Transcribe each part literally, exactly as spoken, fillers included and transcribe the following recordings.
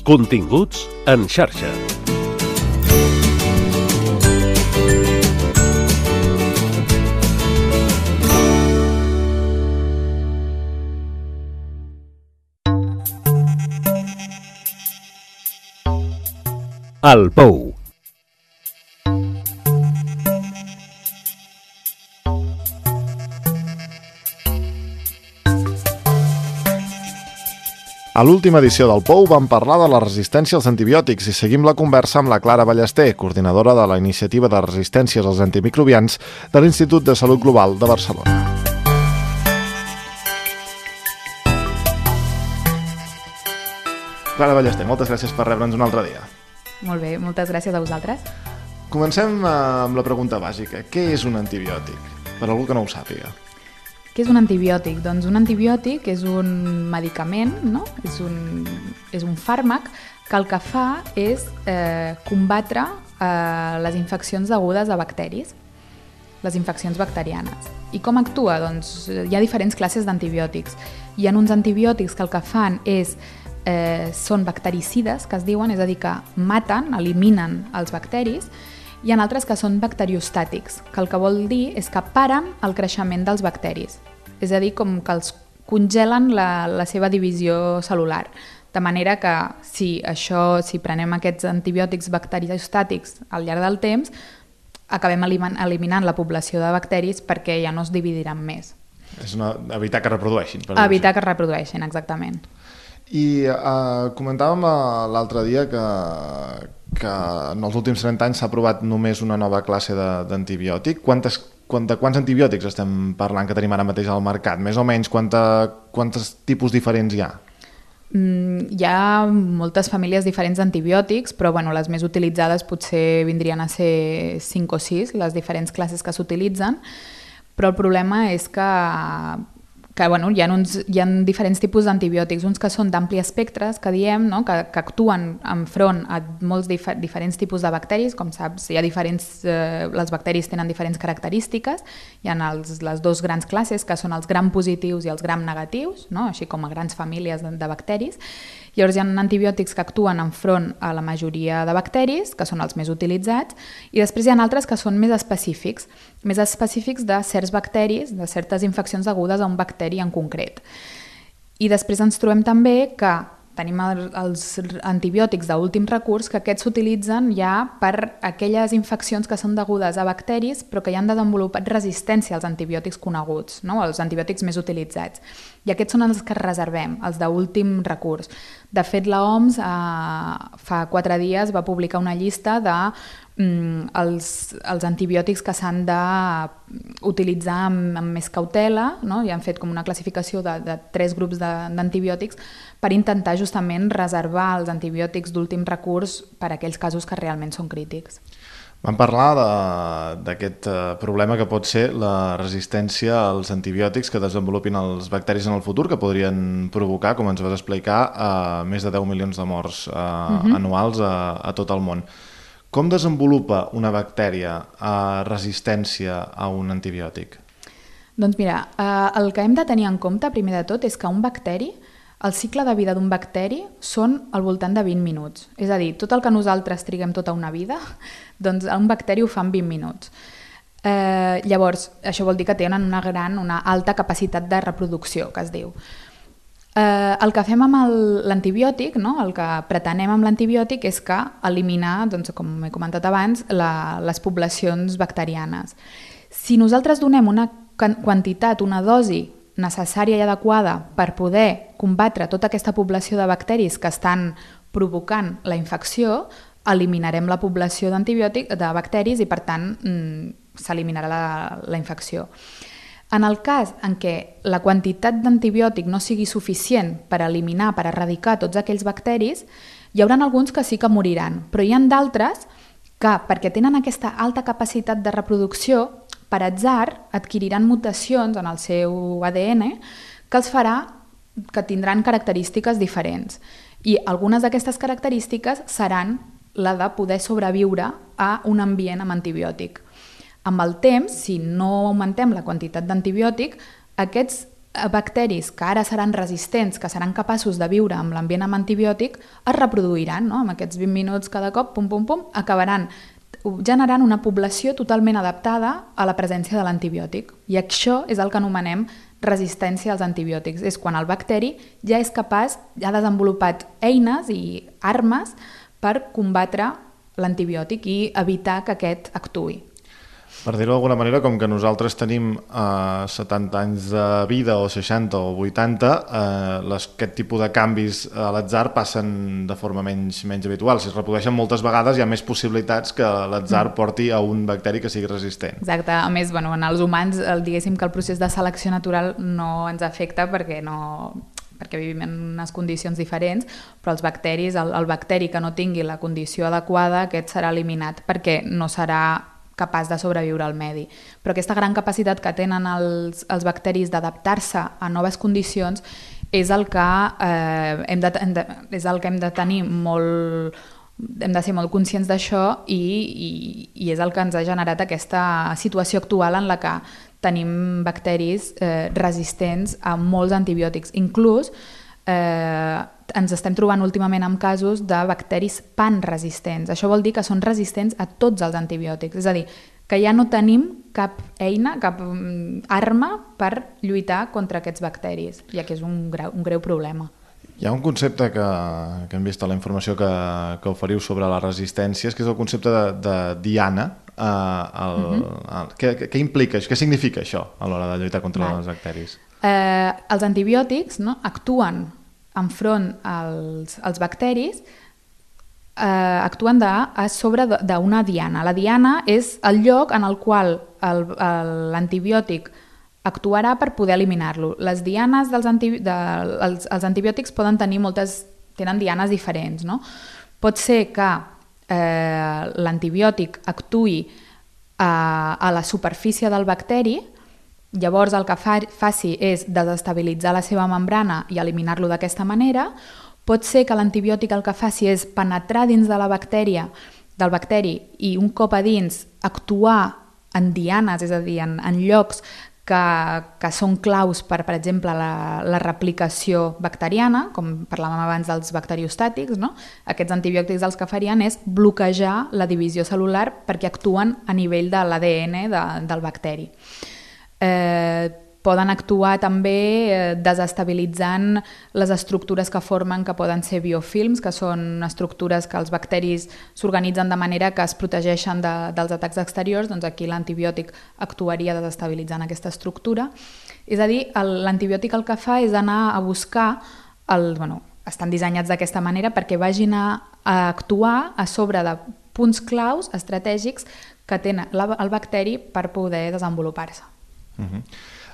Continguts en xarxa. El Pou. A l'última edició del Pou vam parlar de la resistència als antibiòtics i seguim la conversa amb la Clara Ballester, coordinadora de la Iniciativa de Resistències als Antimicrobians de l'Institut de Salut Global de Barcelona. Clara Ballester, moltes gràcies per rebre'ns un altre dia. Molt bé, moltes gràcies a vosaltres. Comencem amb la pregunta bàsica. Què és un antibiòtic? Per algú que no ho sàpiga. Què és un antibiòtic? Doncs un antibiòtic és un medicament, no? És un, és un fàrmac que el que fa és eh, combatre eh, les infeccions degudes a bacteris, les infeccions bacterianes. I com actua? Doncs hi ha diferents classes d'antibiòtics. Hi ha uns antibiòtics que el que fan és eh, són bactericides, que es diuen, és a dir, que maten, eliminen els bacteris. Hi ha altres que són bacteriostàtics, que el que vol dir és que paren el creixement dels bacteris. És a dir, com que els congelen la, la seva divisió cel·lular. De manera que si, això, si prenem aquests antibiòtics bacteriostàtics al llarg del temps, acabem eliminant la població de bacteris perquè ja no es dividiran més. És una, evitar que reprodueixin. Per evitar que reprodueixin, exactament. I uh, comentàvem uh, l'altre dia que, que en els últims trenta anys s'ha aprovat només una nova classe d'antibiòtic. Quantes, quanta, quants antibiòtics estem parlant que tenim ara mateix al mercat? Més o menys, quanta, quantos tipus diferents hi ha? Mm, hi ha moltes famílies diferents d'antibiòtics, però bueno, les més utilitzades potser vindrien a ser cinc o sis, les diferents classes que s'utilitzen, però el problema és que que bueno, hi ha, uns, hi ha diferents tipus d'antibiòtics, uns que són d'ampli espectre, que diem, no? que, que actuen enfront a molts dif diferents tipus de bacteris, com saps, hi ha diferents, eh, les bacteris tenen diferents característiques, hi ha els, les dos grans classes, que són els gram positius i els gram negatius, no? Així com a grans famílies de, de bacteris. Llavors hi ha antibiòtics que actuen enfront a la majoria de bacteris, que són els més utilitzats, i després hi ha altres que són més específics, més específics de certs bacteris, de certes infeccions degudes a un bacteri en concret. I després ens trobem també que tenim els antibiòtics d'últim recurs, que aquests s'utilitzen ja per aquelles infeccions que són degudes a bacteris però que ja han desenvolupat resistència als antibiòtics coneguts, no? Els antibiòtics més utilitzats. I aquests són els que reservem, els d'últim recurs. De fet, l'O M S eh, fa quatre dies va publicar una llista de mm, els, els antibiòtics que s'han d'utilitzar amb, amb més cautela, no? I han fet com una classificació de, de tres grups d'antibiòtics per intentar justament reservar els antibiòtics d'últim recurs per a aquells casos que realment són crítics. Vam parlar d'aquest problema que pot ser la resistència als antibiòtics que desenvolupin els bacteris en el futur, que podrien provocar, com ens vas explicar, eh, més de deu milions de morts eh, uh-huh. anuals a, a tot el món. Com desenvolupa una bactèria eh, resistència a un antibiòtic? Doncs mira, eh, el que hem de tenir en compte, primer de tot, és que un bacteri, el cicle de vida d'un bacteri són al voltant de vint minuts. És a dir, tot el que nosaltres triguem tota una vida, doncs un bacteri ho fa en vint minuts. Eh, llavors, això vol dir que tenen una gran, una alta capacitat de reproducció, que es diu. Eh, el que fem amb l'antibiòtic, no? El que pretenem amb l'antibiòtic és que eliminar, doncs, com he comentat abans, la, les poblacions bacterianes. Si nosaltres donem una quantitat, una dosi necessària i adequada per poder combatre tota aquesta població de bacteris que estan provocant la infecció, eliminarem la població d'antibiòtic de bacteris i, per tant, s'eliminarà la, la infecció. En el cas en què la quantitat d'antibiòtic no sigui suficient per eliminar, per erradicar tots aquells bacteris, hi haurà alguns que sí que moriran, però hi ha d'altres que, perquè tenen aquesta alta capacitat de reproducció, per atzar adquiriran mutacions en el seu A D N que els farà que tindran característiques diferents. I algunes d'aquestes característiques seran la de poder sobreviure a un ambient amb antibiòtic. Amb el temps, si no augmentem la quantitat d'antibiòtic, aquests bacteris que ara seran resistents, que seran capaços de viure amb l'ambient amb antibiòtic, es reproduiran, no? Amb aquests vint minuts cada cop, pum, pum, pum, acabaran generant una població totalment adaptada a la presència de l'antibiòtic. I això és el que anomenem resistència als antibiòtics. És quan el bacteri ja és capaç, ja ha desenvolupat eines i armes per combatre l'antibiòtic i evitar que aquest actuï. Per dir-ho d'alguna manera, com que nosaltres tenim eh, setanta anys de vida o seixanta o vuitanta, eh, les, aquest tipus de canvis a l'atzar passen de forma menys, menys habitual. Si es reprodueixen moltes vegades hi ha més possibilitats que l'atzar porti a un bacteri que sigui resistent. Exacte. A més, bueno, en els humans, el, diguéssim que el procés de selecció natural no ens afecta perquè no... perquè vivim en unes condicions diferents, però els bacteris, el, el bacteri que no tingui la condició adequada, aquest serà eliminat perquè no serà capaç de sobreviure al medi. Però aquesta gran capacitat que tenen els, els bacteris d'adaptar-se a noves condicions és el que, eh, hem, de, hem de, és el que hem de tenir molt... hem de ser molt conscients d'això i, i, i és el que ens ha generat aquesta situació actual en la que tenim bacteris eh, resistents a molts antibiòtics. Inclús eh, ens estem trobant últimament amb casos de bacteris panresistents. Això vol dir que són resistents a tots els antibiòtics. És a dir, que ja no tenim cap eina, cap arma per lluitar contra aquests bacteris, ja que és un greu, un greu problema. Hi ha un concepte que, que hem vist a la informació que, que oferiu sobre les resistències, que és el concepte de, de diana. Uh, el, uh-huh. el, què, què implica això? Què significa això a l'hora de lluitar contra Val. els bacteris? Eh, els antibiòtics, no, actuen enfront als, als bacteris, eh, actuen de, a sobre d'una diana. La diana és el lloc en el qual l'antibiòtic actuarà per poder eliminar-lo. Les dianes dels antibi de, els, els antibiòtics poden tenir moltes, tenen dianes diferents, no? Pot ser que eh, l'antibiòtic actuï a, a la superfície del bacteri. Llavors el que fa, faci és desestabilitzar la seva membrana i eliminar-lo d'aquesta manera. Pot ser que l'antibiòtic el que faci és penetrar dins de la bactèria, del bacteri i un cop a dins actuar en dianes, és a dir, en, en llocs que, que són claus per, per exemple, la, la replicació bacteriana, com parlàvem abans dels bacteriostàtics, no? Aquests antibiòtics els que farien és bloquejar la divisió cel·lular perquè actuen a nivell de l'A D N de, del bacteri. Eh, poden actuar també eh, desestabilitzant les estructures que formen, que poden ser biofilms, que són estructures que els bacteris s'organitzen de manera que es protegeixen de, dels atacs exteriors. Doncs aquí l'antibiòtic actuaria desestabilitzant aquesta estructura. És a dir, l'antibiòtic el que fa és anar a buscar, el, bueno, estan dissenyats d'aquesta manera perquè vagin a, a actuar a sobre de punts claus estratègics que tenen el bacteri per poder desenvolupar-se. Uh-huh.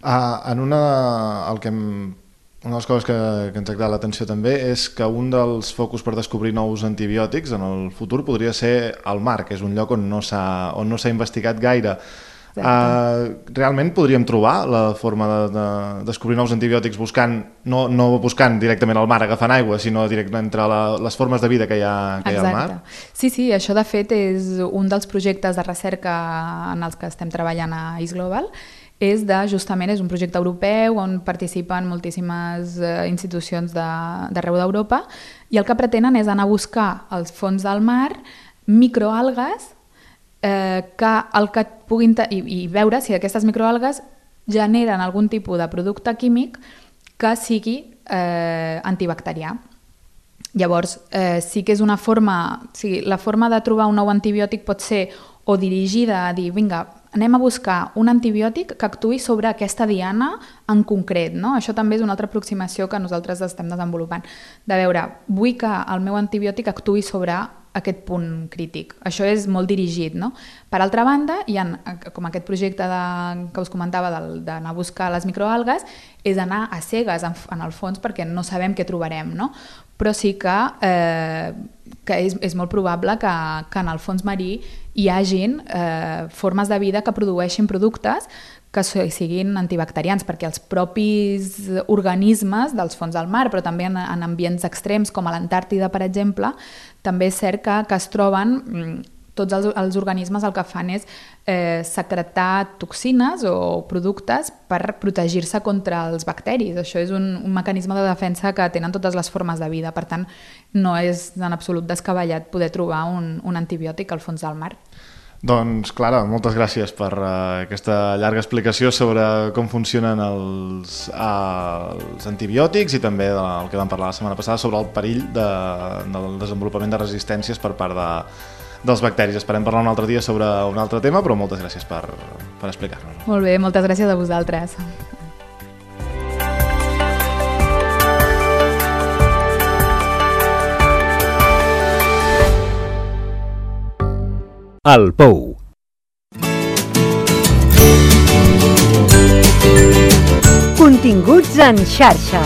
uh, en una, el que hem, una de les coses que, que ens ha cridat l'atenció també és que un dels focus per descobrir nous antibiòtics en el futur podria ser el mar, que és un lloc on no s'ha on no s'ha investigat gaire. Uh, realment podríem trobar la forma de, de descobrir nous antibiòtics buscant, no, no buscant directament al mar agafant aigua, sinó directament entre la, les formes de vida que hi ha, que hi ha al mar? Sí, sí, això de fet és un dels projectes de recerca en els que estem treballant a Is Global. És de, justament, és un projecte europeu on participen moltíssimes eh, institucions d'arreu d'Europa i el que pretenen és anar a buscar als fons del mar microalgues eh, que el que puguin i, i veure si aquestes microalgues generen algun tipus de producte químic que sigui eh, antibacterià. Llavors, eh, sí que és una forma, o sigui, la forma de trobar un nou antibiòtic pot ser o dirigida a dir, vinga, anem a buscar un antibiòtic que actuï sobre aquesta diana en concret, no? Això també és una altra aproximació que nosaltres estem desenvolupant. De veure, vull que el meu antibiòtic actuï sobre aquest punt crític. Això és molt dirigit, no? Per altra banda, hi ha, com aquest projecte de, que us comentava d'anar a buscar les microalgues, és anar a cegues, en, en el fons, perquè no sabem què trobarem, no? Però sí que, eh, que és, és molt probable que, que en el fons marí hi hagin eh, formes de vida que produeixin productes que siguin antibacterians, perquè els propis organismes dels fons del mar, però també en, en ambients extrems com a l'Antàrtida, per exemple, també és cert que, que es troben tots els, els organismes el que fan és eh, secretar toxines o productes per protegir-se contra els bacteris. Això és un, un mecanisme de defensa que tenen totes les formes de vida. Per tant, no és en absolut descabellat poder trobar un, un antibiòtic al fons del mar. Doncs, Clara, moltes gràcies per uh, aquesta llarga explicació sobre com funcionen els, uh, els antibiòtics i també del que vam parlar la setmana passada sobre el perill de, del desenvolupament de resistències per part de, dels bacteris. Esperem parlar un altre dia sobre un altre tema, però moltes gràcies per, per explicar-nos. Molt bé, moltes gràcies a vosaltres. El Pou. Continguts en xarxa.